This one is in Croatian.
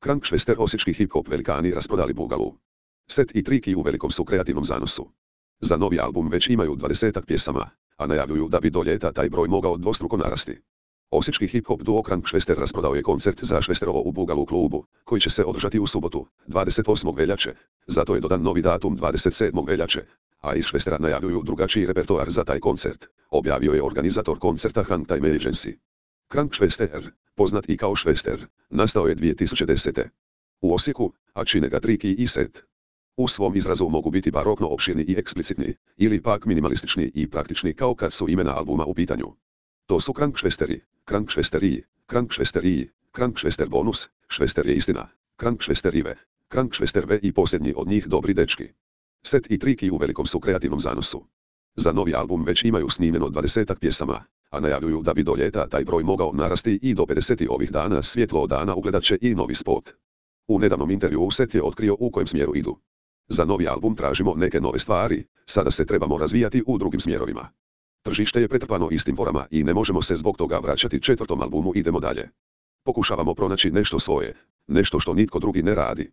Krankšvester osječki hip-hop velikani rasprodali Bugalu. Set i Triki u velikom su kreativnom zanosu. Za novi album već imaju 20-ak pjesama, a najavljuju da bi do ljeta taj broj mogao dvostruko narasti. Osječki hip-hop duo Krankšvester rasprodao je koncert za Švesterovo u Bugalu klubu, koji će se održati u subotu, 28. veljače, zato je dodan novi datum 27. veljače, a iz Švestera najavljuju drugačiji repertoar za taj koncert, objavio je organizator koncerta Hangtime Agency. Krankšvester, poznat i kao Švester, nastao je 2010. u Osijeku, a čine ga Triki i Set. U svom izrazu mogu biti barokno opširni i eksplicitni, ili pak minimalistični i praktični kao kad su imena albuma u pitanju. To su Krankšvesteri, Krankšvesteriji, Krankšvesteriji, Krankšvester bonus, Švester je istina, Krankšvesterive, Krankšvesterve i posljednji od njih dobri dečki. Set i Triki u velikom su kreativnom zanosu. Za novi album već imaju snimljeno 20-ak pjesama, a najavljuju da bi do ljeta taj broj mogao narasti i do 50 ovih dana svjetlo dana ugledat će i novi spot. U nedavnom intervjuu Set je otkrio u kojem smjeru idu. Za novi album tražimo neke nove stvari, sada se trebamo razvijati u drugim smjerovima. Tržište je pretrpano istim forama i ne možemo se zbog toga vraćati četvrtom albumu, idemo dalje. Pokušavamo pronaći nešto svoje, nešto što nitko drugi ne radi.